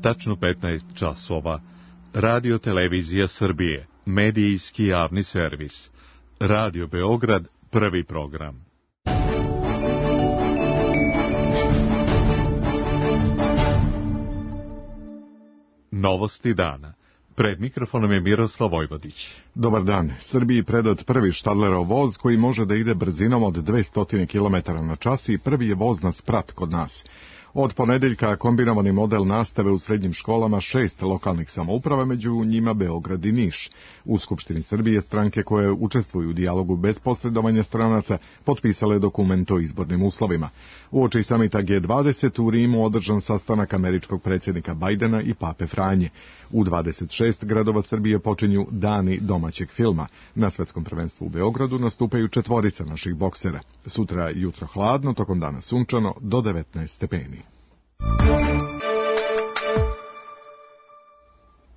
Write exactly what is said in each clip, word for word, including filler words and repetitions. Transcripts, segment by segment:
tačno petnaest časova. Radio Televizija Srbije, medijski javni servis. Radio Beograd, prvi program. Novosti dana. Pred mikrofonom je Miroslav Vojvodić. Dobar dan. Srbiji predat prvi Štadlerov voz koji može da ide brzinom od dvesta kilometara na čas i prvi je voz na sprat kod nas. Od ponedeljka kombinovani model nastave u srednjim školama šest lokalnih samouprava, među njima Beograd i Niš. U Skupštini Srbije stranke koje učestvuju u dijalogu bez posredovanja stranaca potpisale dokument o izbornim uslovima. Uoči samita G dvadeset u Rimu održan sastanak američkog predsjednika Bajdena i Pape Franje. U dvadeset šest gradova Srbije počinju dani domaćeg filma. Na svetskom prvenstvu u Beogradu nastupaju četvorica naših boksera. Sutra jutro hladno, tokom dana sunčano do devetnaest stepeni.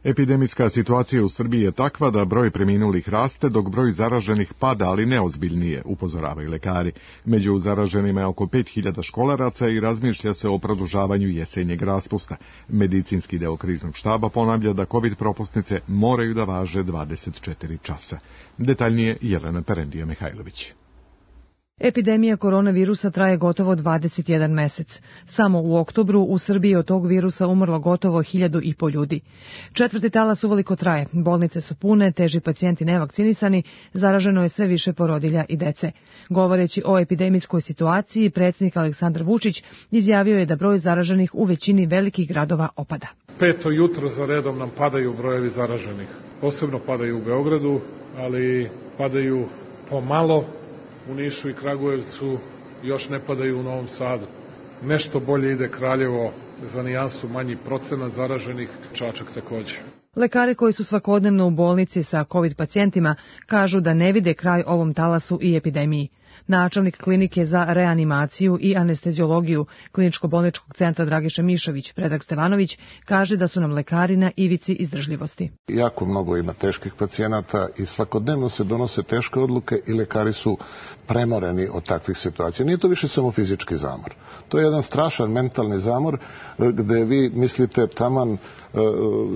Epidemijska situacija u Srbiji je takva da broj preminulih raste, dok broj zaraženih pada, ali neozbiljnije, upozoravaju lekari. Među zaraženima je oko pet hiljada školaraca i razmišlja se o produžavanju jesenjeg raspusta. Medicinski deo kriznog štaba ponavlja da COVID propusnice moraju da važe dvadeset četiri časa. Detaljnije Jelena Perendija-Mihajlović. Epidemija koronavirusa traje gotovo dvadeset jedan mesec. Samo u oktobru u Srbiji od tog virusa umrlo gotovo hiljadu i po ljudi. Četvrti talas uveliko traje, bolnice su pune, teži pacijenti nevakcinisani, zaraženo je sve više porodilja i dece. Govoreći o epidemijskoj situaciji, predsjednik Aleksandar Vučić izjavio je da broj zaraženih u većini velikih gradova opada. Peto jutro za redom nam padaju brojevi zaraženih. Posebno padaju u Beogradu, ali padaju pomalo. U Nišu i Kragujevcu još ne padaju u Novom Sadu. Nešto bolje ide Kraljevo, za nijansu manji procenat zaraženih, Čačak također. Lekari koji su svakodnevno u bolnici sa COVID pacijentima kažu da ne vide kraj ovom talasu i epidemiji. Načelnik klinike za reanimaciju i anesteziologiju Kliničko-bolničkog centra Dragiša Mišović, Predrag Stevanović, kaže da su nam lekari na ivici izdržljivosti. Jako mnogo ima teških pacijenata i svakodnevno se donose teške odluke i lekari su premoreni od takvih situacija. Nije to više samo fizički zamor. To je jedan strašan mentalni zamor gde vi mislite taman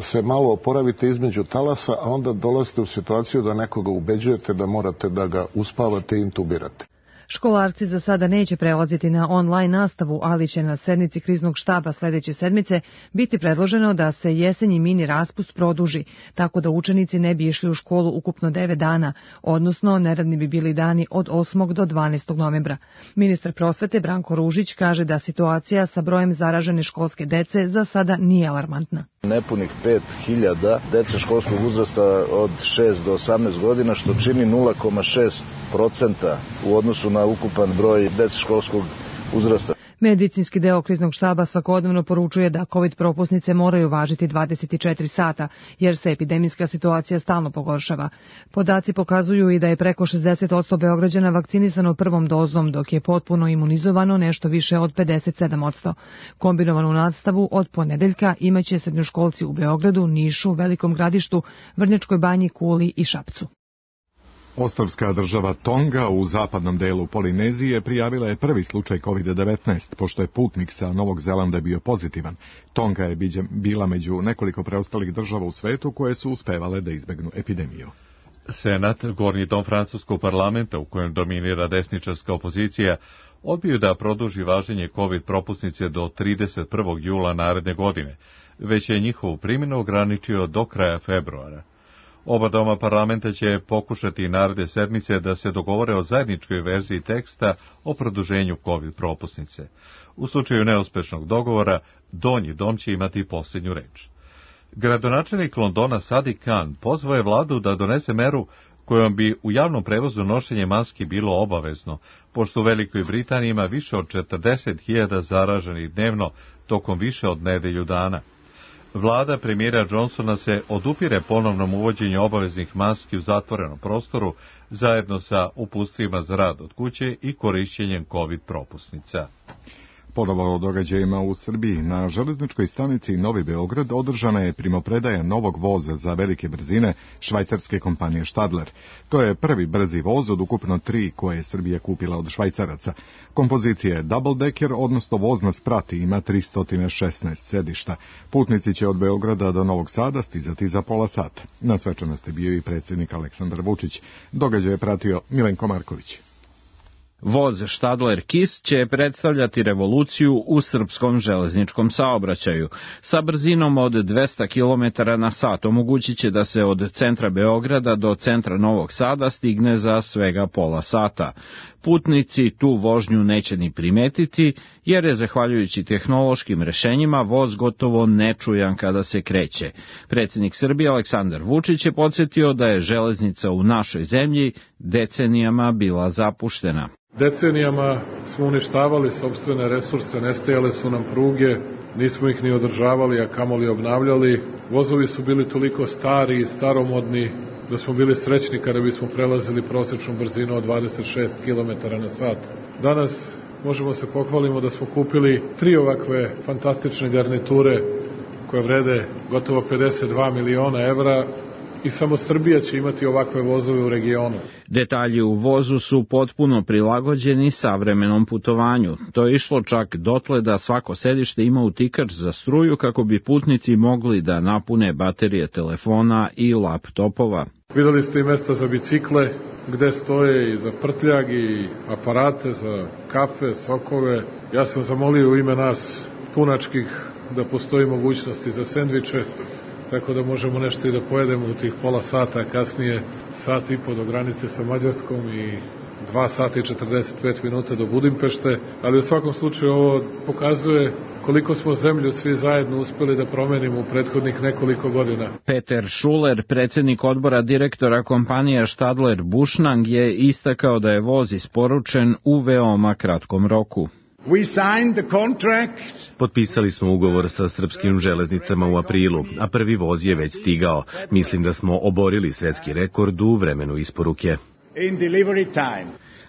se malo oporavite između talasa, a onda dolazite u situaciju da nekoga ubeđujete da morate da ga uspavate i intubirate. Školarci za sada neće prelaziti na online nastavu, ali će na sednici kriznog štaba sledeće sedmice biti predloženo da se jesenji mini raspust produži, tako da učenici ne bi išli u školu ukupno devet dana, odnosno neradni bi bili dani od osmog do dvanaestog novembra. Ministar prosvete Branko Ružić kaže da situacija sa brojem zaražene školske dece za sada nije alarmantna. Nepunih pet hiljada dece školskog uzrasta od šest do osamnaest godina, što čini nula zarez šest procenta u odnosu na ukupan broj dece školskog uzrasta. Medicinski deo kriznog štaba svakodnevno poručuje da COVID propusnice moraju važiti dvadeset četiri sata, jer se epidemijska situacija stalno pogoršava. Podaci pokazuju i da je preko šezdeset posto Beograđana vakcinisano prvom dozom, dok je potpuno imunizovano nešto više od pedeset sedam posto. Kombinovanu nastavu od ponedeljka imaće srednjoškolci u Beogradu, Nišu, Velikom Gradištu, Vrnjačkoj Banji, Kuli i Šapcu. Ostrvska država Tonga u zapadnom delu Polinezije prijavila je prvi slučaj COVID devetnaest, pošto je putnik sa Novog Zelanda bio pozitivan. Tonga je bila među nekoliko preostalih država u svetu koje su uspevale da izbegnu epidemiju. Senat, gornji dom francuskog parlamenta u kojem dominira desničarska opozicija, odbio da produži važenje COVID propusnice do trideset prvog jula naredne godine, već je njihovu primjenu ograničio do kraja februara. Oba doma parlamenta će pokušati naredne sedmice da se dogovore o zajedničkoj verziji teksta o produženju COVID propusnice. U slučaju neuspešnog dogovora, donji dom će imati posljednju reč. Gradonačelnik Londona Sadiq Khan pozvao je vladu da donese meru kojom bi u javnom prevozu nošenje maski bilo obavezno, pošto u Velikoj Britaniji ima više od četrdeset hiljada zaraženih dnevno tokom više od nedelju dana. Vlada premijera Johnsona se odupire ponovnom uvođenju obaveznih maski u zatvorenom prostoru zajedno sa uputstvima za rad od kuće i korišćenjem COVID propusnica. Ponovo o događajima u Srbiji. Na železničkoj stanici Novi Beograd održana je primopredaja novog voza za velike brzine švajcarske kompanije Stadler. To je prvi brzi voz od ukupno tri koje je Srbija kupila od Švajcaraca. Kompozicija je double decker, odnosno voz na sprat, ima tristo šesnaest sedišta. Putnici će od Beograda do Novog Sada stizati za pola sata. Na svečanosti bio i predsjednik Aleksandar Vučić. Događaj je pratio Milenko Marković. Voz Stadler Kiss će predstavljati revoluciju u srpskom železničkom saobraćaju. Sa brzinom od dvesta kilometara na sat omogućit će da se od centra Beograda do centra Novog Sada stigne za svega pola sata. Putnici tu vožnju neće ni primetiti, jer je zahvaljujući tehnološkim rešenjima voz gotovo nečujan kada se kreće. Predsjednik Srbije Aleksandar Vučić je podsjetio da je železnica u našoj zemlji decenijama bila zapuštena. Decenijama smo uništavali sopstvene resurse, nestajale su nam pruge, nismo ih ni održavali, a kamoli obnavljali. Vozovi su bili toliko stari i staromodni da smo bili srećni kada bismo prelazili prosječnu brzinu od dvadeset šest kilometara na sat. Danas možemo se pohvalimo da smo kupili tri ovakve fantastične garniture koje vrede gotovo pedeset dva miliona evra, i samo Srbija će imati ovakve vozove u regionu. Detalji u vozu su potpuno prilagođeni savremenom putovanju. To je išlo čak dotle da svako sedište ima utikač za struju kako bi putnici mogli da napune baterije telefona i laptopova. Videli ste i mesta za bicikle, gde stoje i za prtljag i aparate za kafe, sokove. Ja sam zamolio u ime nas punačkih da postoji mogućnosti za sendviče, tako da možemo nešto i da pojedemo u tih pola sata, kasnije sat i po do granice sa Mađarskom i dva sata i četrdeset pet minuta do Budimpešte, ali u svakom slučaju ovo pokazuje koliko smo zemlju svi zajedno uspeli da promenimo u prethodnih nekoliko godina. Peter Schuler, predsjednik odbora direktora kompanije Stadler Bushnang, je istakao da je voz isporučen u veoma kratkom roku. Potpisali smo ugovor sa srpskim železnicama u aprilu, a prvi voz je već stigao. Mislim da smo oborili svetski rekord u vremenu isporuke.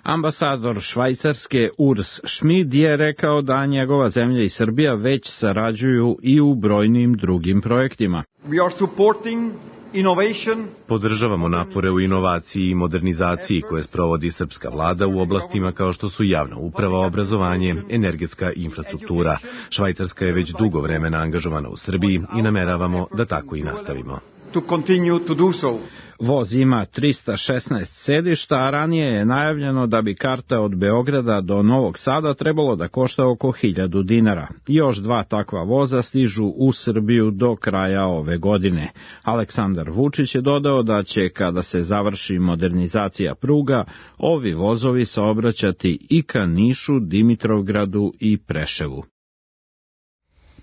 Ambasador Švajcarske Urs Schmid je rekao da njegova zemlja i Srbija već sarađuju i u brojnim drugim projektima. We are supporting innovation. Podržavamo napore u inovaciji i modernizaciji koje sprovodi srpska vlada u oblastima kao što su javna uprava, obrazovanje, energetska infrastruktura. Švajcarska je već dugo vremena angažovana u Srbiji i nameravamo da tako i nastavimo. To continue to do so. Voz ima tristo šesnaest sedišta, a ranije je najavljeno da bi karta od Beograda do Novog Sada trebalo da košta oko hiljadu dinara. Još dva takva voza stižu u Srbiju do kraja ove godine. Aleksandar Vučić je dodao da će, kada se završi modernizacija pruga, ovi vozovi saobraćati i ka Nišu, Dimitrovgradu i Preševu.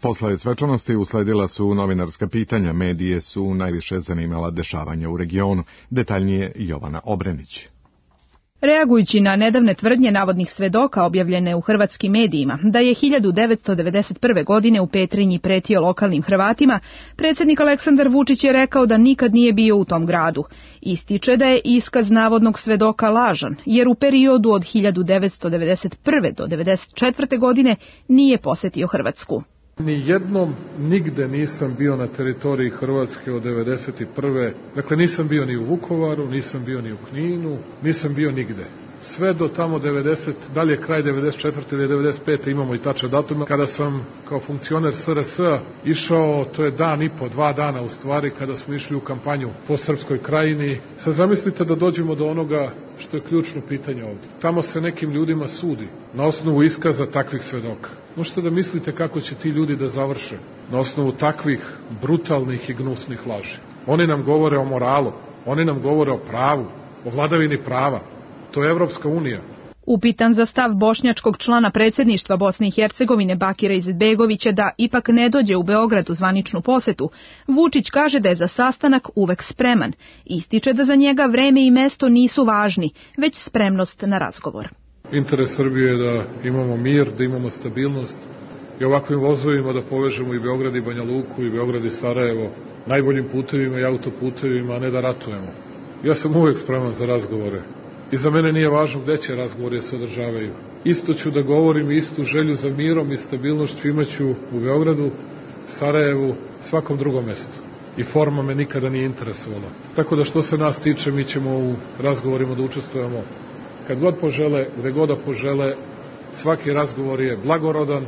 Posle svečanosti usledila su novinarska pitanja, medije su najviše zanimala dešavanja u regionu. Detaljnije Jovana Obrenić. Reagujući na nedavne tvrdnje navodnih svedoka objavljene u hrvatskim medijima da je hiljadu devetsto devedeset prve. godine u Petrinji pretio lokalnim Hrvatima, predsjednik Aleksandar Vučić je rekao da nikad nije bio u tom gradu. Ističe da je iskaz navodnog svedoka lažan, jer u periodu od hiljadu devetsto devedeset prve. do devedeset četvrte. godine nije posetio Hrvatsku. Ni jednom nigde nisam bio na teritoriji Hrvatske od devedeset prve. Dakle, nisam bio ni u Vukovaru, nisam bio ni u Kninu, nisam bio nigde. Sve do tamo devedeset, dalje kraj devedeset četvrte ili devedeset pete imamo i tačan datum, kada sam kao funkcioner S R S-a išao, to je dan i po, dva dana u stvari, kada smo išli u kampanju po Srpskoj krajini. Sad zamislite da dođemo do onoga što je ključno pitanje ovdje. Tamo se nekim ljudima sudi na osnovu iskaza takvih svedoka. Možete da mislite kako će ti ljudi da završe na osnovu takvih brutalnih i gnusnih laži. Oni nam govore o moralu, oni nam govore o pravu, o vladavini prava. To je Evropska unija. Upitan za stav bošnjačkog člana predsjedništva Bosne i Hercegovine Bakira Izetbegovića da ipak ne dođe u Beograd u zvaničnu posetu, Vučić kaže da je za sastanak uvek spreman. Ističe da za njega vreme i mesto nisu važni, već spremnost na razgovor. Interes Srbije je da imamo mir, da imamo stabilnost i ovakvim vozovima da povežemo i Beograd i Banja Luku i Beograd i Sarajevo najboljim putevima i autoputevima, a ne da ratujemo. Ja sam uvek spreman za razgovore. I za mene nije važno gde će razgovori se održavaju. isto ću da govorim, istu želju za mirom i stabilnošću imaću u Beogradu, Sarajevu, svakom drugom mestu. I forma me nikada nije interesovala. Tako da što se nas tiče, mi ćemo u razgovorima da učestvujemo kad god požele, gde god da požele. Svaki razgovor je blagorodan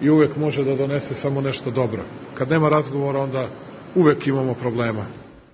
i uvek može da donese samo nešto dobro. Kad nema razgovora, onda uvek imamo problema.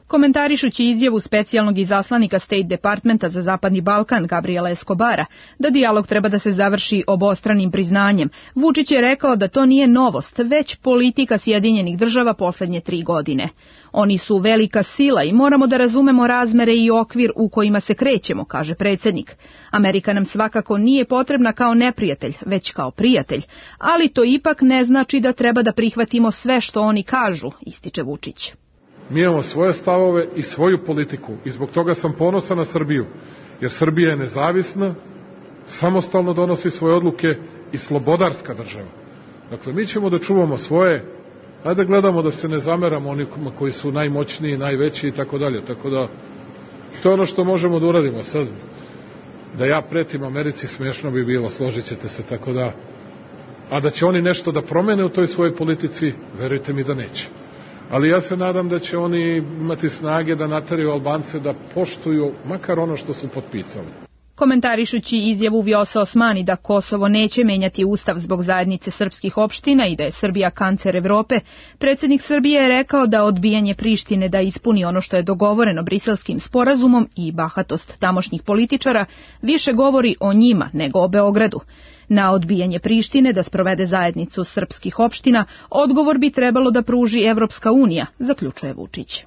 Komentarišući izjavu specijalnog izaslanika State Departmenta za Zapadni Balkan Gabriela Escobara da dijalog treba da se završi obostranim priznanjem, Vučić je rekao da to nije novost, već politika Sjedinjenih država poslednje tri godine. Oni su velika sila i moramo da razumemo razmere i okvir u kojima se krećemo, kaže predsjednik. Amerika nam svakako nije potrebna kao neprijatelj, već kao prijatelj, ali to ipak ne znači da treba da prihvatimo sve što oni kažu, ističe Vučić. Mi imamo svoje stavove i svoju politiku i zbog toga sam ponosan na Srbiju, jer Srbija je nezavisna, samostalno donosi svoje odluke i slobodarska država. Dakle, mi ćemo da čuvamo svoje, ajde da gledamo da se ne zameramo onima koji su najmoćniji, najveći i tako dalje. Tako da, to je ono što možemo da uradimo. Sad, da ja pretim Americi, smiješno bi bilo, složit ćete se, tako da, a da će oni nešto da promene u toj svojoj politici, verujte mi da neće. Ali ja se nadam da će oni imati snage da nateraju Albance da poštuju makar ono što su potpisali. Komentarišući izjavu Vjosa Osmani da Kosovo neće menjati ustav zbog zajednice srpskih opština i da je Srbija kancer Evrope, predsjednik Srbije je rekao da odbijanje Prištine da ispuni ono što je dogovoreno Briselskim sporazumom i bahatost tamošnjih političara više govori o njima nego o Beogradu. Na odbijanje Prištine da sprovede zajednicu srpskih opština odgovor bi trebalo da pruži Evropska unija, zaključuje Vučić.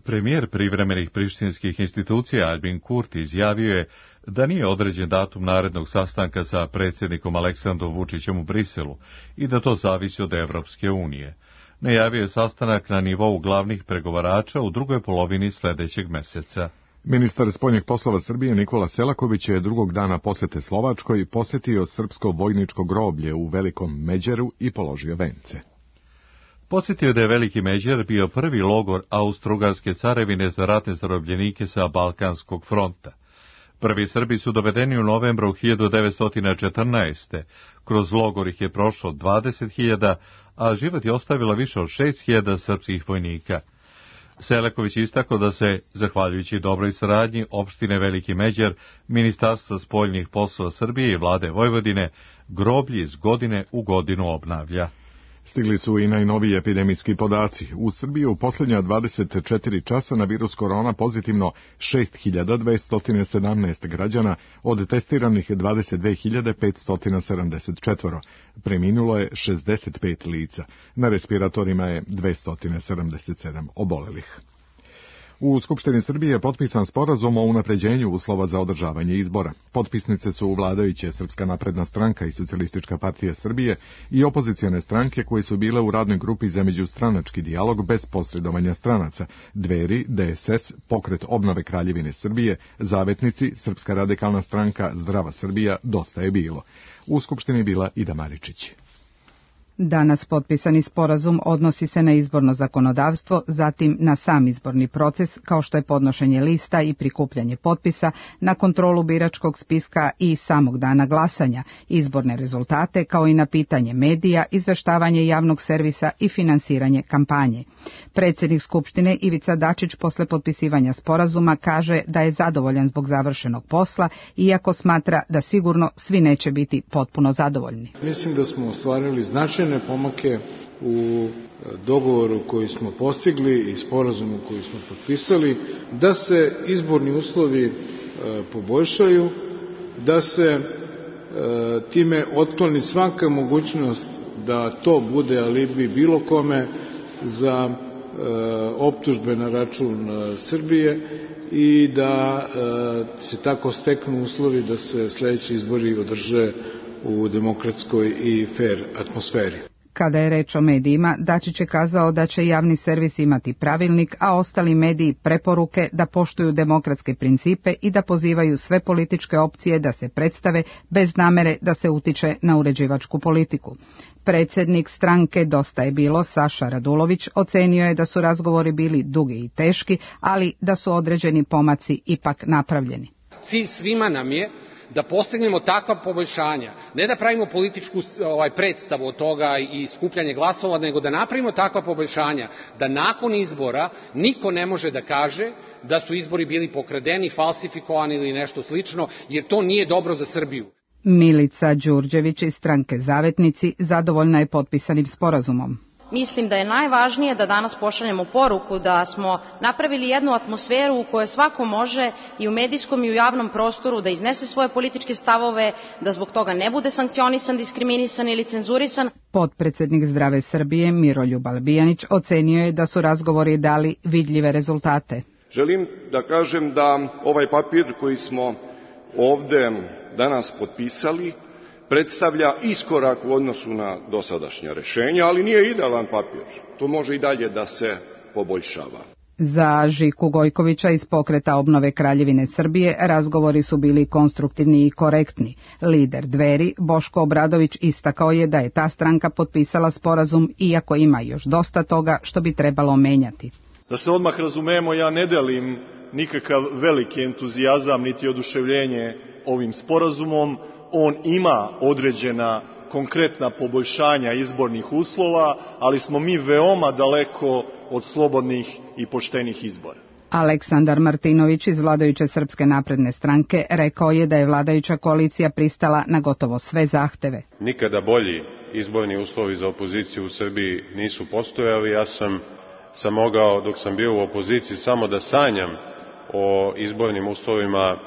Premijer privremenih prištinskih institucija Albin Kurti izjavio je da nije određen datum narednog sastanka sa predsjednikom Aleksandrom Vučićem u Briselu i da to zavisi od Evropske unije. Najavio je sastanak na nivou glavnih pregovarača u drugoj polovini sljedećeg meseca. Ministar spoljnih poslova Srbije Nikola Selaković je drugog dana posete Slovačkoj posjetio srpsko vojničko groblje u Velikom Međeru i položio vence. Podsjetio da je Veliki Međer bio prvi logor Austro-Ugarske carevine za ratne zarobljenike sa Balkanskog fronta. Prvi Srbi su dovedeni u novembru hiljadu devetsto četrnaeste. Kroz logor ih je prošlo dvadeset hiljada, a život je ostavilo više od šest hiljada srpskih vojnika. Selaković istakao da se, zahvaljujući dobroj saradnji opštine Veliki Međer, Ministarstva spoljnih poslova Srbije i vlade Vojvodine, groblje iz godine u godinu obnavlja. Stigli su i najnoviji epidemijski podaci. U Srbiji u posljednja dvadeset četiri časa na virus korona pozitivno šest hiljada dvesta sedamnaest građana, od testiranih dvadeset dve hiljade petsto sedamdeset četiri. Preminulo je šezdeset pet lica. Na respiratorima je dvesta sedamdeset sedam obolelih. U Skupštini Srbije je potpisan sporazum o unapređenju uslova za održavanje izbora. Potpisnice su vladajuće Srpska napredna stranka i Socijalistička partija Srbije i opozicione stranke koje su bile u radnoj grupi za međustranački dijalog bez posredovanja stranaca, Dveri, D S S, Pokret obnove Kraljevine Srbije, Zavetnici, Srpska radikalna stranka, Zdrava Srbija, Dosta je bilo. U Skupštini je bila Ida Maričić. Danas potpisani sporazum odnosi se na izborno zakonodavstvo, zatim na sam izborni proces, kao što je podnošenje lista i prikupljanje potpisa, na kontrolu biračkog spiska i samog dana glasanja, izborne rezultate, kao i na pitanje medija, izveštavanje javnog servisa i finansiranje kampanje. Predsjednik Skupštine Ivica Dačić posle potpisivanja sporazuma kaže da je zadovoljan zbog završenog posla, iako smatra da sigurno svi neće biti potpuno zadovoljni. Mislim da smo ostvarili značajne pomake u dogovoru koji smo postigli i sporazumu koji smo potpisali, da se izborni uslovi e, poboljšaju, da se e, time otkloni svaka mogućnost da to bude alibi bilo kome za e, optužbe na račun e, Srbije i da e, se tako steknu uslovi da se sljedeći izbori održe u demokratskoj i fer atmosferi. Kada je reč o medijima, Dačić je kazao da će javni servis imati pravilnik, a ostali mediji preporuke da poštuju demokratske principe i da pozivaju sve političke opcije da se predstave bez namere da se utiče na uređivačku politiku. Predsjednik stranke Dosta je bilo, Saša Radulović, ocenio je da su razgovori bili dugi i teški, ali da su određeni pomaci ipak napravljeni. Cilj svima nam je da postignemo takva poboljšanja, ne da pravimo političku ovaj, predstavu od toga i skupljanje glasova, nego da napravimo takva poboljšanja da nakon izbora niko ne može da kaže da su izbori bili pokradeni, falsifikovani ili nešto slično, jer to nije dobro za Srbiju. Milica Đurđević iz stranke Zavetnici zadovoljna je potpisanim sporazumom. Mislim da je najvažnije da danas pošaljemo poruku da smo napravili jednu atmosferu u kojoj svako može i u medijskom i u javnom prostoru da iznese svoje političke stavove, da zbog toga ne bude sankcionisan, diskriminisan ili cenzurisan. Potpredsednik Zdrave Srbije Miroljub Albijanić ocenio je da su razgovori dali vidljive rezultate. Želim da kažem da ovaj papir koji smo ovde danas potpisali predstavlja iskorak u odnosu na dosadašnja rešenja, ali nije idealan papir. To može i dalje da se poboljšava. Za Žiku Gojkovića iz Pokreta obnove Kraljevine Srbije razgovori su bili konstruktivni i korektni. Lider Dveri, Boško Obradović, istakao je da je ta stranka potpisala sporazum, iako ima još dosta toga što bi trebalo menjati. Da se odmah razumemo, ja ne delim nikakav veliki entuzijazam niti oduševljenje ovim sporazumom. On ima određena konkretna poboljšanja izbornih uslova, ali smo mi veoma daleko od slobodnih i poštenih izbora. Aleksandar Martinović iz vladajuće Srpske napredne stranke rekao je da je vladajuća koalicija pristala na gotovo sve zahteve. Nikada bolji izborni uslovi za opoziciju u Srbiji nisu postojali. Ja sam, sam mogao, dok sam bio u opoziciji, samo da sanjam o izbornim uslovima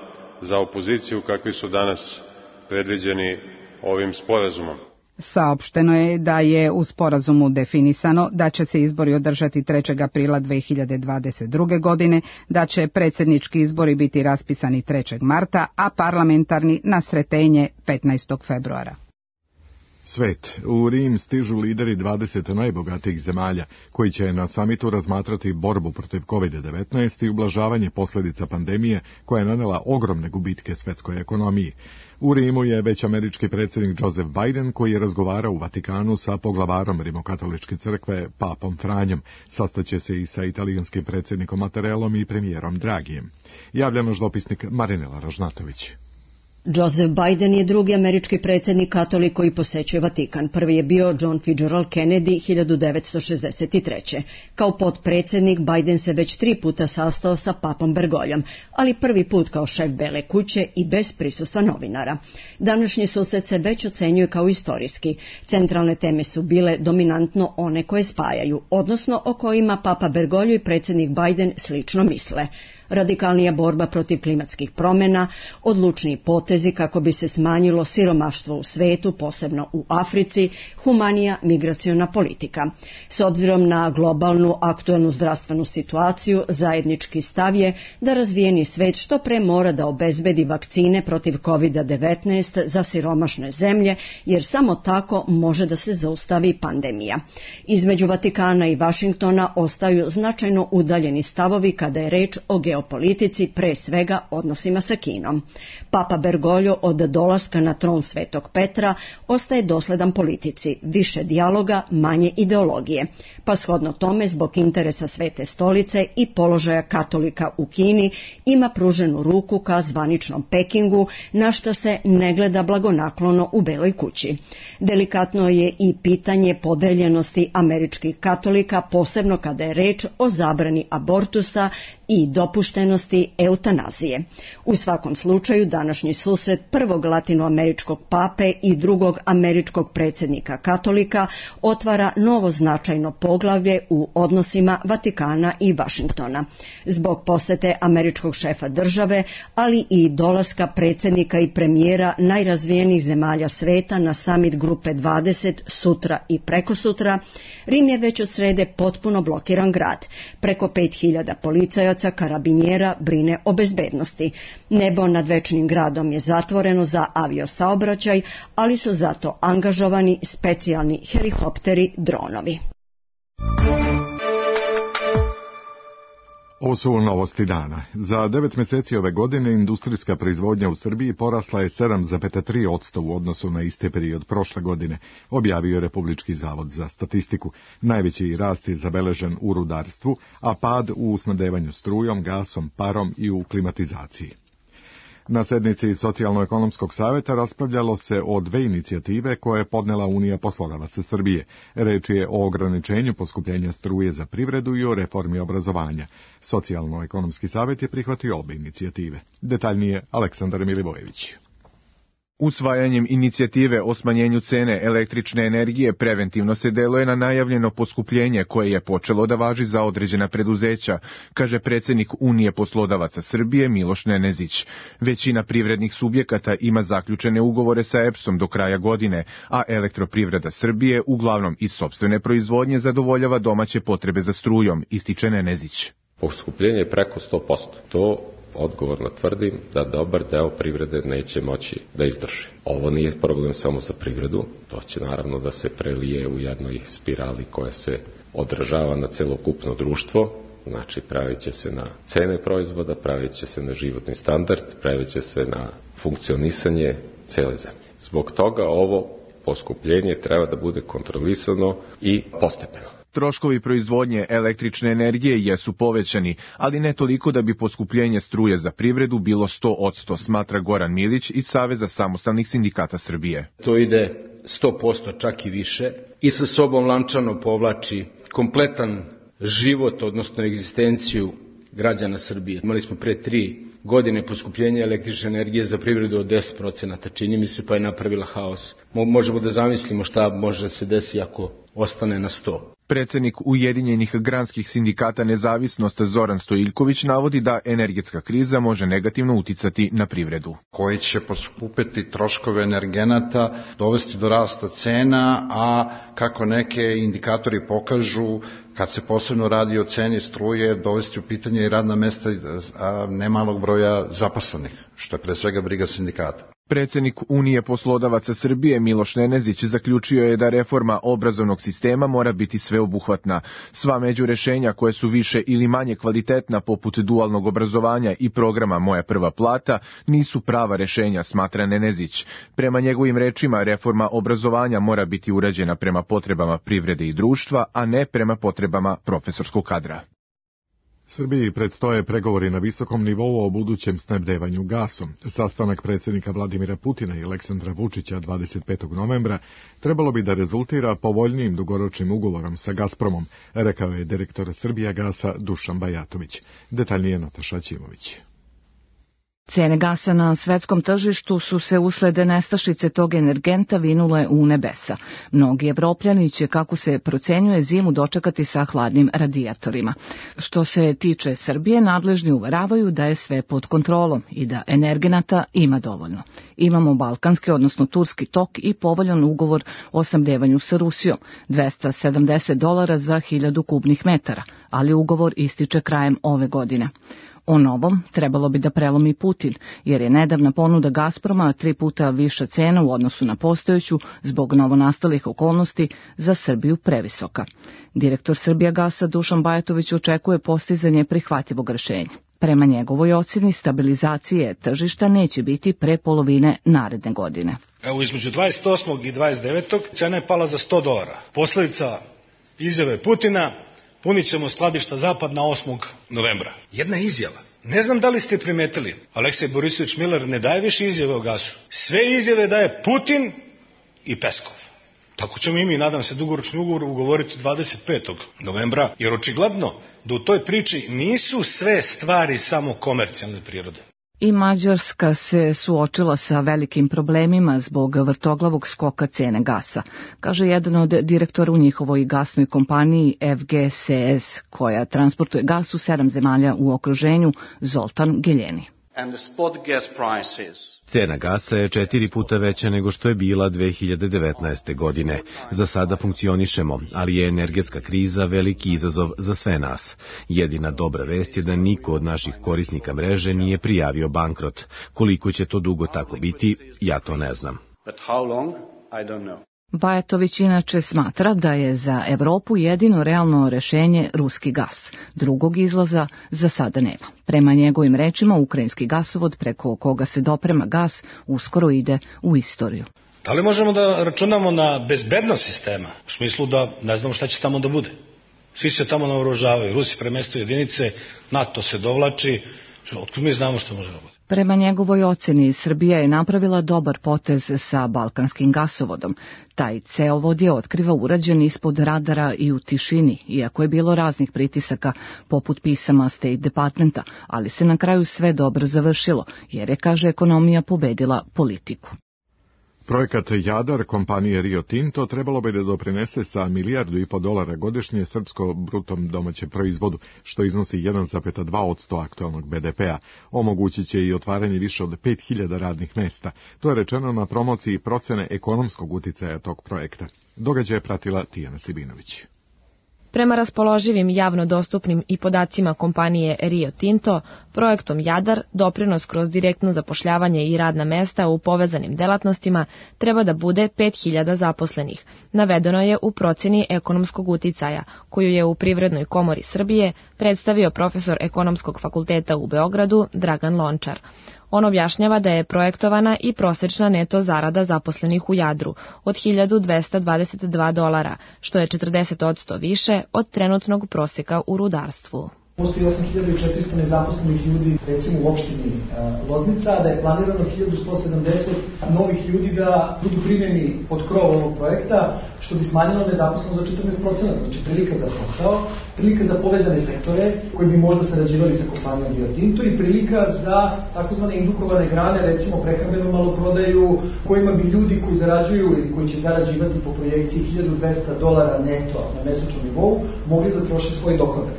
za opoziciju kakvi su danas predviđeni ovim sporazumom. Saopšteno je da je u sporazumu definisano da će se izbori održati trećeg aprila dve hiljade dvadeset druge. godine, da će predsjednički izbori biti raspisani trećeg marta, a parlamentarni na Sretenje petnaestog februara. Svet. U Rim stižu lideri dvadeset najbogatijih zemalja, koji će na samitu razmatrati borbu protiv kovid devetnaest i ublažavanje posljedica pandemije koja je nanela ogromne gubitke svetskoj ekonomiji. U Rimu je već američki predsjednik Joseph Biden, koji je razgovarao u Vatikanu sa poglavarom Rimokatoličke crkve, papom Franjom. Sastaće se i sa italijanskim predsjednikom Mattarellom i premijerom Dragijem. Javlja naš dopisnik Marinela Ražnatović. Joseph Biden je drugi američki predsjednik katolik koji posećuje Vatikan. Prvi je bio John Fitzgerald Kennedy hiljadu devetsto šezdeset treće. Kao potpredsjednik Biden se već tri puta sastao sa papom Bergoljom, ali prvi put kao šef Bele kuće i bez prisustva novinara. Današnji susret se već ocenjuje kao istorijski. Centralne teme su bile dominantno one koje spajaju, odnosno o kojima papa Bergoglio i predsjednik Biden slično misle. Radikalnija borba protiv klimatskih promjena, odlučniji potezi kako bi se smanjilo siromaštvo u svetu, posebno u Africi, humanija migraciona politika. S obzirom na globalnu aktuelnu zdravstvenu situaciju, zajednički stav je da razvijeni svet što pre mora da obezbedi vakcine protiv kovid devetnaest za siromašne zemlje, jer samo tako može da se zaustavi pandemija. Između Vatikana i Vašingtona ostaju značajno udaljeni stavovi kada je reč o geopolitici, pre svega odnosima sa Kinom. Papa Bergoglio od dolaska na tron Svetog Petra ostaje dosledan politici, više dijaloga, manje ideologije, pa shodno tome zbog interesa Svete stolice i položaja katolika u Kini ima pruženu ruku ka zvaničnom Pekingu, na što se ne gleda blagonaklono u Beloj kući. Delikatno je i pitanje podeljenosti američkih katolika, posebno kada je reč o zabrani abortusa i dopuštenosti eutanazije. U svakom slučaju, današnji susret prvog latinoameričkog pape i drugog američkog predsjednika katolika otvara novo značajno poglavlje u odnosima Vatikana i Vašingtona. Zbog posete američkog šefa države, ali i dolaska predsjednika i premijera najrazvijenijih zemalja sveta na samit grupe dvadeset sutra i prekosutra, Rim je već od srede potpuno blokiran grad. Preko pet hiljada policajaca karabinjera brine o bezbednosti. Nebo nad večnim gradom je zatvoreno za aviosaobraćaj, ali su zato angažovani specijalni helikopteri, dronovi. Ovo su novosti dana. Za devet mjeseci ove godine industrijska proizvodnja u Srbiji porasla je sedam zarez tri posto u odnosu na isti period prošle godine, objavio je Republički zavod za statistiku. Najveći rast je zabeležen u rudarstvu, a pad u snabdevanju strujom, gasom, parom i u klimatizaciji. Na sednici Socijalno-ekonomskog savjeta raspravljalo se o dve inicijative koje je podnela Unija poslodavaca Srbije. Reč je o ograničenju poskupljenja struje za privredu i o reformi obrazovanja. Socijalno-ekonomski savjet je prihvatio obe inicijative. Detaljnije Aleksandar Milivojević. Usvajanjem inicijative o smanjenju cene električne energije preventivno se deluje na najavljeno poskupljenje koje je počelo da važi za određena preduzeća, kaže predsjednik Unije poslodavaca Srbije Miloš Nenezić. Većina privrednih subjekata ima zaključene ugovore sa E P S-om do kraja godine, a Elektroprivreda Srbije uglavnom iz sopstvene proizvodnje zadovoljava domaće potrebe za strujom, ističe Nenezić. Poskupljenje je preko sto posto. To odgovorno tvrdim da dobar deo privrede neće moći da izdrži. Ovo nije problem samo za privredu, to će naravno da se prelije u jednoj spirali koja se odražava na celokupno društvo, znači pravit će se na cene proizvoda, pravit će se na životni standard, pravit će se na funkcionisanje cele zemlje. Zbog toga ovo poskupljenje treba da bude kontrolisano i postepeno. Troškovi proizvodnje električne energije jesu povećani, ali ne toliko da bi poskupljenje struje za privredu bilo sto posto, smatra Goran Milić iz Saveza samostalnih sindikata Srbije. To ide sto posto, čak i više, i sa sobom lančano povlači kompletan život, odnosno egzistenciju građana Srbije. Imali smo pre tri godine poskupljenje električne energije za privredu od deset procenata, čini mi se, pa je napravila haos. Možemo da zamislimo šta može da se desi ako ostane na sto. Predsjednik Ujedinjenih granskih sindikata Nezavisnost Zoran Stojiljković navodi da energetska kriza može negativno uticati na privredu. Koji će poskupiti troškove energenata, dovesti do rasta cena, a kako neke indikatori pokažu, kad se posebno radi o ceni struje, dovesti u pitanje i radna mesta nemalog broja zaposlenih, što je pre svega briga sindikata. Predsjednik Unije poslodavaca Srbije Miloš Nenezić zaključio je da reforma obrazovnog sistema mora biti sveobuhvatna. Sva međurešenja koje su više ili manje kvalitetna poput dualnog obrazovanja i programa Moja prva plata nisu prava rešenja, smatra Nenezić. Prema njegovim rečima reforma obrazovanja mora biti urađena prema potrebama privrede i društva, a ne prema potrebama profesorskog kadra. Srbiji predstoje pregovori na visokom nivou o budućem snabdevanju gasom. Sastanak predsjednika Vladimira Putina i Aleksandra Vučića dvadeset petog novembra trebalo bi da rezultira povoljnijim dugoročnim ugovorom sa Gazpromom, rekao je direktor Srbijagasa Dušan Bajatović. Detaljnije Nataša Ćimović. Cene gasa na svetskom tržištu su se usled nestašice tog energenta vinule u nebesa. Mnogi Evropljani će, kako se procenjuje, zimu dočekati sa hladnim radijatorima. Što se tiče Srbije, nadležni uveravaju da je sve pod kontrolom i da energenata ima dovoljno. Imamo balkanski, odnosno turski tok i povoljan ugovor o snabdevanju sa Rusijom, dvesta sedamdeset dolara za hiljadu kubnih metara, ali ugovor ističe krajem ove godine. O novom trebalo bi da prelomi Putin, jer je nedavna ponuda Gazproma tri puta viša cena u odnosu na postojeću zbog novonastalih okolnosti za Srbiju previsoka. Direktor Srbijagasa Dušan Bajatović očekuje postizanje prihvatljivog rešenja. Prema njegovoj ocjeni, stabilizacije tržišta neće biti pre polovine naredne godine. Evo, između dvadeset osmog i dvadeset devetog cena je pala za sto dolara. Posledica izjave Putina: punit ćemo skladišta zapad na osmog novembra. Jedna izjava. Ne znam da li ste primetili, Aleksej Borisović Miller ne daje više izjave o gasu. Sve izjave daje Putin i Peskov. Tako ćemo i mi, nadam se, dugoročni ugovor ugovoriti dvadeset petog novembra, jer očigledno da u toj priči nisu sve stvari samo komercijalne prirode. I Mađarska se suočila sa velikim problemima zbog vrtoglavog skoka cene gasa, kaže jedan od direktora u njihovoj gasnoj kompaniji F G S S, koja transportuje gas u sedam zemalja u okruženju, Zoltan Geljeni. Cena gasa je četiri puta veća nego što je bila dve hiljade devetnaeste. godine. Za sada funkcionišemo, ali je energetska kriza veliki izazov za sve nas. Jedina dobra vest je da niko od naših korisnika mreže nije prijavio bankrot. Koliko će to dugo tako biti, ja to ne znam. Bajatović inače smatra da je za Evropu jedino realno rešenje ruski gas. Drugog izlaza za sada nema. Prema njegovim rečima, ukrajinski gasovod preko koga se doprema gas uskoro ide u istoriju. Da li možemo da računamo na bezbednost sistema? U smislu da ne znamo šta će tamo da bude. Svi se tamo naoružavaju, Rusi premestaju jedinice, NATO se dovlači, otkud mi znamo što može da bude. Prema njegovoj oceni, Srbija je napravila dobar potez sa balkanskim gasovodom. Taj ceovod je otkriva urađen ispod radara i u tišini, iako je bilo raznih pritisaka poput pisama State Departmenta, ali se na kraju sve dobro završilo, jer je, kaže, ekonomija pobedila politiku. Projekat Jadar kompanije Rio Tinto trebalo bi da doprinese sa milijardu i po dolara godišnje srpsko brutom domaćem proizvodu, što iznosi jedan zarez dva posto aktualnog be de pea. Omogućit će i otvaranje više od pet hiljada radnih mesta. To je rečeno na promociji procene ekonomskog uticaja tog projekta. Događaj je pratila Tijana Sibinović. Prema raspoloživim javno dostupnim i podacima kompanije Rio Tinto, projektom Jadar doprinos kroz direktno zapošljavanje i radna mesta u povezanim delatnostima treba da bude pet hiljada zaposlenih. Navedeno je u proceni ekonomskog uticaja, koju je u Privrednoj komori Srbije predstavio profesor Ekonomskog fakulteta u Beogradu Dragan Lončar. On objašnjava da je projektovana i prosečna neto zarada zaposlenih u Jadru od hiljadu dvesta dvadeset dva dolara, što je četrdeset posto više od trenutnog proseka u rudarstvu. Postoji osam hiljada četiristo nezaposlenih ljudi, recimo u opštini Loznica, da je planirano hiljadu sto sedamdeset novih ljudi da budu primljeni pod krov ovog projekta, što bi smanjilo nezaposlenost za četrnaest posto. Znači prilika za posao, prilika za povezane sektore koji bi možda sarađivali sa kompanijom Rio Tinto i prilika za takozvane indukovane grane, recimo prehrambenu maloprodaju, kojima bi ljudi koji zarađuju ili koji će zarađivati po projekciji hiljadu dvesta dolara neto na mesečnom nivou mogli da troše svoj dohodak.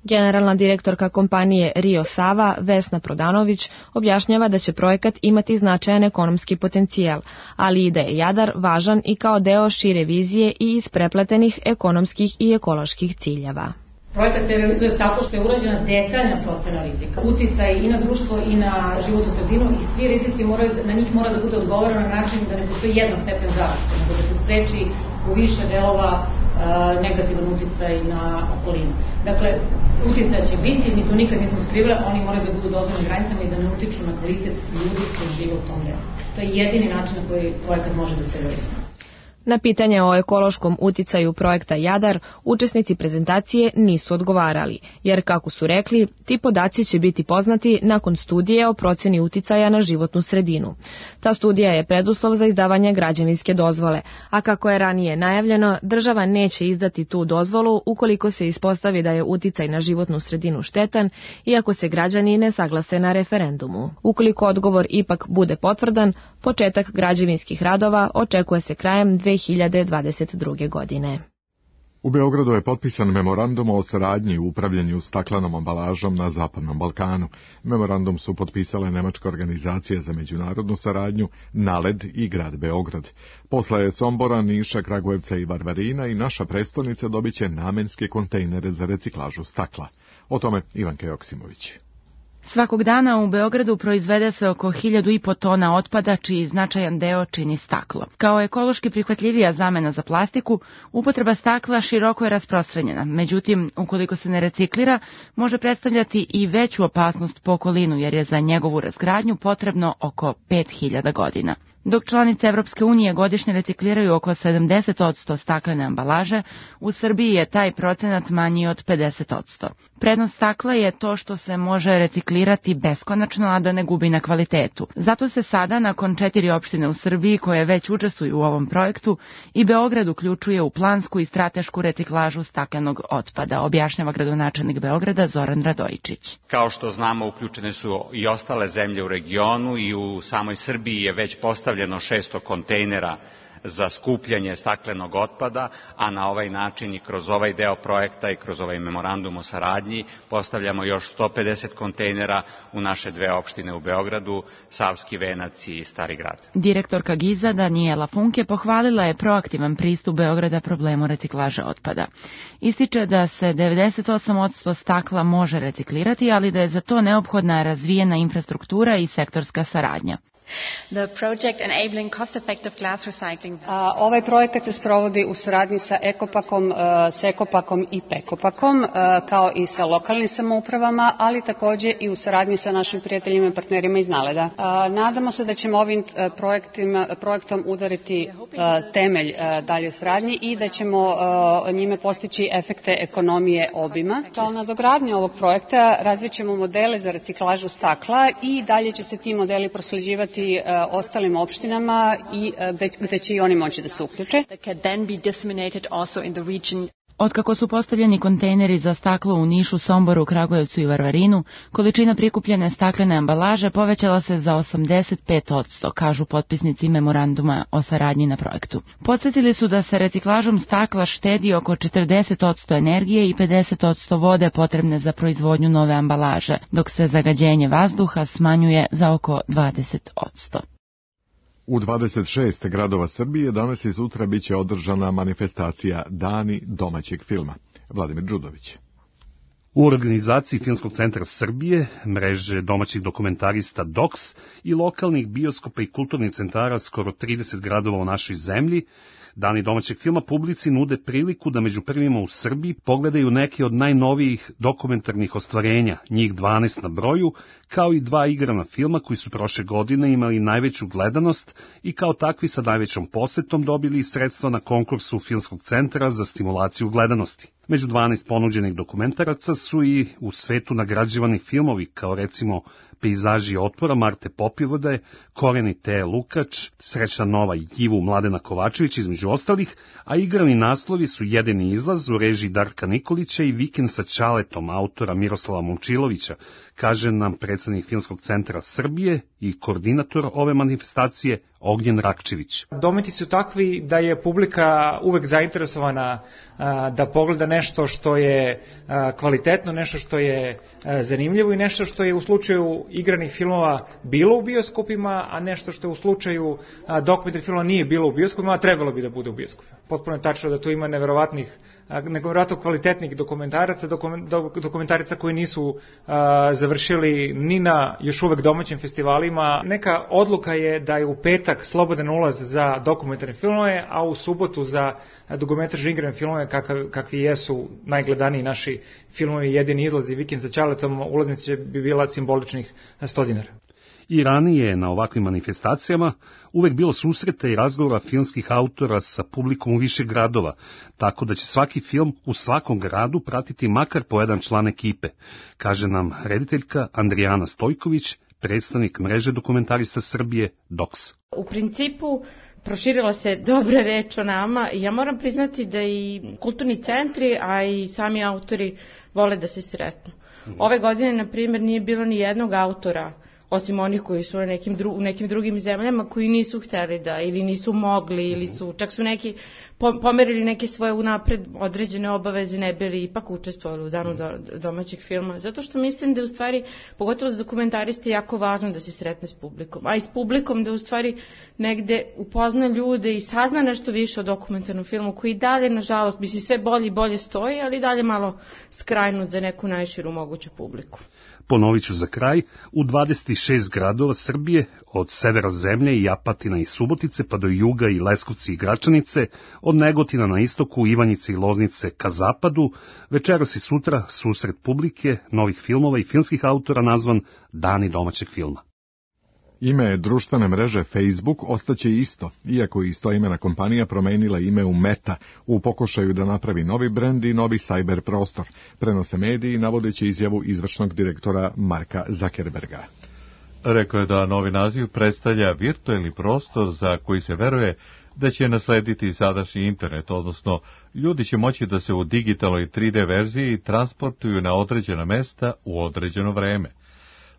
Generalna direktorka kompanije Rio Sava, Vesna Prodanović, objašnjava da će projekat imati značajan ekonomski potencijal, ali i da je Jadar važan i kao deo šire vizije i isprepletenih ekonomskih i ekoloških ciljeva. Projekat se realizuje tako što je urađena detaljna procena rizika, uticaj i na društvo i na životnu sredinu i svi rizici moraju, na njih mora da bude odgovoreno na način da ne postoji jedan stepen zaštite, nego da se spreči u više delova negativan uticaj na okolinu. Dakle, uticaj će biti, mi to nikad nismo skrivali, oni moraju da budu dozvoljeni granicama i da ne utiču na kvalitet ljudi koji žive u tom delu. To je jedini način na koji projekat može da se realizuje. Na pitanje o ekološkom uticaju projekta Jadar, učesnici prezentacije nisu odgovarali, jer, kako su rekli, ti podaci će biti poznati nakon studije o proceni uticaja na životnu sredinu. Ta studija je preduslov za izdavanje građevinske dozvole, a kako je ranije najavljeno, država neće izdati tu dozvolu ukoliko se ispostavi da je uticaj na životnu sredinu štetan, iako se građani ne saglase na referendumu. Ukoliko odgovor ipak bude potvrdan, početak građevinskih radova očekuje se krajem dve hiljade dvadeset druge. godine. U Beogradu je potpisan memorandum o saradnji u upravljanju staklenom ambalažom na Zapadnom Balkanu. Memorandum su potpisale Nemačka organizacija za međunarodnu saradnju, NALED i grad Beograd. Posle Sombora, Niša, Kragujevca i Varvarina i naša prestonica dobiće namenske kontejnere za reciklažu stakla. O tome Ivanka Joksimović. Svakog dana u Beogradu proizvede se oko hiljadu i po tona otpada, čiji značajan deo čini staklo. Kao ekološki prihvatljivija zamena za plastiku, upotreba stakla široko je rasprostranjena. Međutim, ukoliko se ne reciklira, može predstavljati i veću opasnost po okolinu, jer je za njegovu razgradnju potrebno oko pet hiljada godina. Dok članice Evropske unije godišnje recikliraju oko sedamdeset posto staklene ambalaže, u Srbiji je taj procenat manji od pedeset posto. Prednost stakla je to što se može reciklirati beskonačno, a da ne gubi na kvalitetu. Zato se sada, nakon četiri opštine u Srbiji koje već učestvuju u ovom projektu, i Beograd uključuje u plansku i stratešku reciklažu staklenog otpada, objašnjava gradonačelnik Beograda Zoran Radojičić. Kao što znamo, uključene su i ostale zemlje u regionu i u samoj Srbiji je već postavljeno šesto kontejnera za skupljanje staklenog otpada, a na ovaj način i kroz ovaj deo projekta i kroz ovaj memorandum o saradnji postavljamo još sto pedeset kontejnera u naše dve opštine u Beogradu, Savski Venac i Stari Grad. Direktorka Giza Danijela Funke pohvalila je proaktivan pristup Beograda problemu reciklaže otpada. Ističe da se devedeset osam posto stakla može reciklirati, ali da je za to neophodna razvijena infrastruktura i sektorska saradnja. The project enabling cost-effective glass recycling. A, ovaj projekat se sprovodi u saradnji sa Ekopakom, a, s Ekopakom i Pekopakom, a, kao i sa lokalnim samoupravama, ali takođe i u saradnji sa našim prijateljima i partnerima iz Naleda. A, nadamo se da ćemo ovim a, projektima, projektom udariti a, temelj a, dalje saradnji i da ćemo a, njime postići efekte ekonomije obima. Kao nadogradnje ovog projekta razvićemo modele za reciklažu stakla i dalje će se ti modeli prosleđivati uh, ostalim opštinama i uh, gde, gde će i oni moći da se uključe. Otkako su postavljeni kontejneri za staklo u Nišu, Somboru, Kragujevcu i Varvarinu, količina prikupljene staklene ambalaže povećala se za osamdeset pet posto, kažu potpisnici memoranduma o saradnji na projektu. Podsjetili su da se reciklažom stakla štedi oko četrdeset posto energije i pedeset posto vode potrebne za proizvodnju nove ambalaže, dok se zagađenje vazduha smanjuje za oko dvadeset posto. U dvadeset šest gradova Srbije danas i sutra biće održana manifestacija Dani domaćeg filma. Vladimir Đudović. U organizaciji Filmskog centra Srbije, mreže domaćih dokumentarista D O K S i lokalnih bioskopa i kulturnih centara skoro trideset gradova u našoj zemlji, Dani domaćeg filma publici nude priliku da među prvima u Srbiji pogledaju neke od najnovijih dokumentarnih ostvarenja, njih dvanaest na broju, kao i dva igrana filma koji su prošle godine imali najveću gledanost i kao takvi sa najvećom posetom dobili sredstva na konkursu Filmskog centra za stimulaciju gledanosti. Među dvanaest ponuđenih dokumentaraca su i u svetu nagrađivani filmovi, kao recimo Pejzaži otpora Marte Popivode, Koreni Teje Lukač, Srećna nova Jivu Mladena Kovačević između ostalih, a igrani naslovi su Jedini izlaz u režiji Darka Nikolića i Vikend sa Čaletom autora Miroslava Momčilovića, kaže nam predsednik Filmskog centra Srbije i koordinator ove manifestacije Ognjen Rakčević. Dometi su takvi da je publika uvek zainteresovana a, da pogleda nešto što je a, kvalitetno, nešto što je a, zanimljivo i nešto što je u slučaju igranih filmova bilo u bioskopima, a nešto što je u slučaju dokumentarnih filmova nije bilo u bioskopima, a trebalo bi da bude u bioskopima. Potpuno je tačno da tu ima neverovatnih, neverovatno kvalitetnih dokumentaraca, dokumentarica koji nisu a, završili ni na još uvek domaćim festivalima. Neka odluka je da je u petak slobodan ulaz za dokumentarne filmove, a u subotu za dugometražne igrane filmove kakvi jesu najgledaniji naši filmovi Jedini izlaz i Vikend sa Čaletom, ulaznica bi bila simboličnih sto dinara. I ranije na ovakvim manifestacijama uvek bilo susreta i razgovora filmskih autora sa publikom u više gradova, tako da će svaki film u svakom gradu pratiti makar po jedan član ekipe, kaže nam rediteljka Andrijana Stojković, predstavnik mreže dokumentarista Srbije D O K S. U principu proširila se dobra reč o nama i ja moram priznati da i kulturni centri, a i sami autori vole da se sretnu. Ove godine, na primjer, nije bilo ni jednog autora, osim onih koji su na nekim dru, u nekim drugim zemljama, koji nisu hteli da, ili nisu mogli, ili su, čak su neki pomerili neke svoje unapred određene obaveze, ne bili ipak učestvovali u danu do, domaćeg filma. Zato što mislim da je u stvari, pogotovo za dokumentariste, jako važno da se sretne s publikom. A i s publikom da u stvari negde upozna ljude i sazna nešto više o dokumentarnom filmu, koji dalje, nažalost, mislim, sve bolje i bolje stoji, ali dalje malo skrajnut za neku najširu moguću publiku. Ponovit ću za kraj, u dvadeset šest gradova Srbije, od severa zemlje i Apatina i Subotice pa do juga i Leskovci i Gračanice, od Negotina na istoku, Ivanjice i Loznice ka zapadu, večeras i sutra susret publike, novih filmova i filmskih autora nazvan Dani domaćeg filma. Ime društvene mreže Facebook ostaće isto, iako je istoimena kompanija promenila ime u Meta u pokušaju da napravi novi brend i novi sajber prostor, prenose mediji navodeći izjavu izvršnog direktora Marka Zuckerberga. Rekao je da novi naziv predstavlja virtuelni prostor za koji se veruje da će naslediti sadašnji internet, odnosno ljudi će moći da se u digitalnoj tri D verziji transportuju na određena mesta u određeno vreme.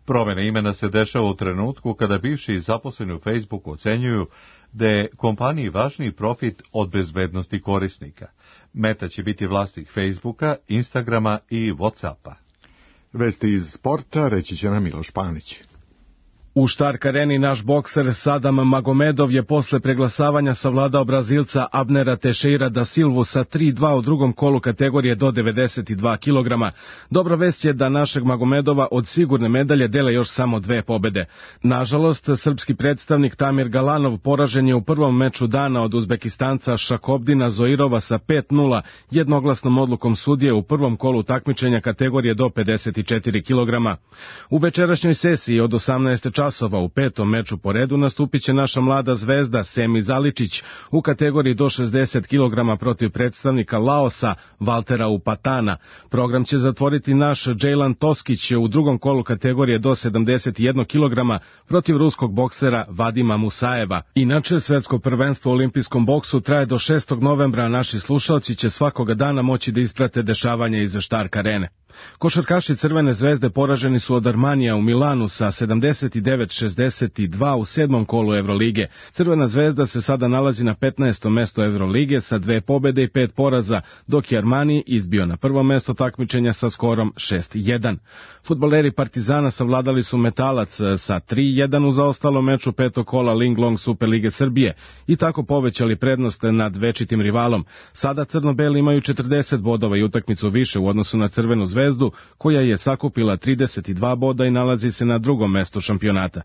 Promjena imena se dešava u trenutku kada bivši zaposleni u Facebooku ocenjuju da je kompaniji važniji profit od bezbednosti korisnika. Meta će biti vlasnik Facebooka, Instagrama i Whatsappa. Vesti iz sporta reći će nam Miloš Panić. U Stark areni naš bokser Sadam Magomedov je posle preglasavanja savladao Brazilca Abnera Teixeira da Silvu sa tri dva u drugom kolu kategorije do devedeset dva kilograma. Dobra vest je da našeg Magomedova od sigurne medalje dele još samo dve pobede. Nažalost, srpski predstavnik Tamir Galanov poražen je u prvom meču dana od Uzbekistanca Šakobdina Zoirova sa pet nula jednoglasnom odlukom sudije u prvom kolu takmičenja kategorije do pedeset četiri kilograma. U večerašnjoj sesiji od osamnaest časova u petom meču po redu nastupit će naša mlada zvezda Semi Zaličić u kategoriji do šezdeset kilograma protiv predstavnika Laosa Valtera Upatana. Program će zatvoriti naš Džejlan Toskić u drugom kolu kategorije do sedamdeset jedan kilograma protiv ruskog boksera Vadima Musajeva. Inače, svetsko prvenstvo u olimpijskom boksu traje do šestog novembra, a naši slušalci će svakoga dana moći da isprate dešavanja iz Stark arene. Košarkaši Crvene zvezde poraženi su od Armanija u Milanu sa sedamdeset devet šezdeset dva u sedmom kolu Evrolige. Crvena zvezda se sada nalazi na petnaestom mestu Evrolige sa dve pobede i pet poraza, dok je Armani izbio na prvo mesto takmičenja sa skorom šest jedan. Fudbaleri Partizana savladali su Metalac sa tri jedan u zaostalom meču petog kola Linglong Superlige Srbije i tako povećali prednost nad večitim rivalom. Sada crno-beli imaju četrdeset bodova i utakmicu više u odnosu na Crvenu zvezdu, koja je sakupila trideset dva boda i nalazi se na drugom mestu šampionata.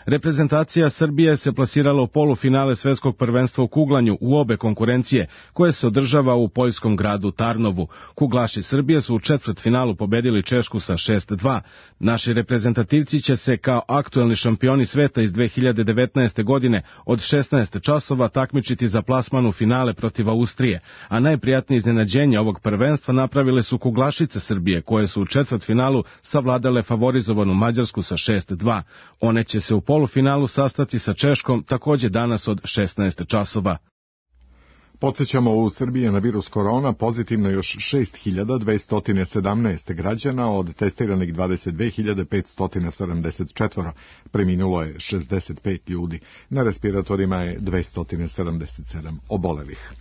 Reprezentacija Srbije se plasirala u polufinale svetskog prvenstva u kuglanju u obe konkurencije, koje se održava u poljskom gradu Tarnovu. Kuglaši Srbije su u četvrtfinalu pobedili Češku sa šest dva. Naši reprezentativci će se kao aktuelni šampioni sveta iz dve hiljade devetnaeste. godine od šesnaest časova takmičiti za plasman u finale protiv Austrije, a najprijatnije iznenađenje ovog prvenstva napravile su kuglašice Srbije, koje su u četvrtfinalu savladale favorizovanu Mađarsku sa šest dva. One će se u polufinalu sastati sa Češkom takođe danas od šesnaest časova. Podsjećamo, u Srbiji je na virus korona pozitivno još šest hiljada dvesta sedamnaest građana, od testiranih dvadeset dve hiljade petsto sedamdeset četiri. Preminulo je šezdeset pet ljudi. Na respiratorima je dvesta sedamdeset sedam obolelih.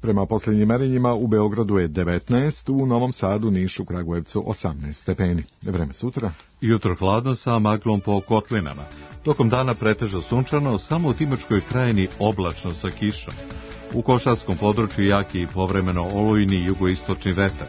Prema posljednjim merenjima u Beogradu je devetnaest, u Novom Sadu, Nišu, Kragujevcu osamnaest stepeni. Vreme sutra. Jutro hladno sa maglom po kotlinama. Tokom dana pretežno sunčano, samo u Timočkoj krajini oblačno sa kišom. U Košarskom području jaki i povremeno olujni jugoistočni vetar.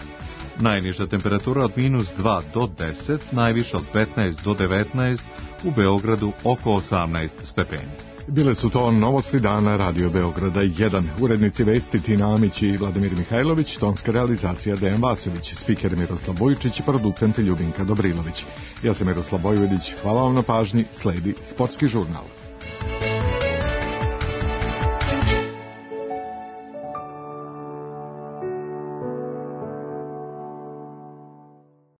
Najniža temperatura od minus dva do deset, najviša od petnaest do devetnaest, u Beogradu oko osamnaest stepeni. Bile su to novosti dana Radio Beograda jedan. Urednici vesti Tina Amić i Vladimir Mihajlović, tonska realizacija Dejan Vasović, spiker Miroslav Bojičić, producent Ljubinka Dobrilović. Ja sam Miroslav Bojvedić, hvala vam na pažnji, sledi Sportski žurnal.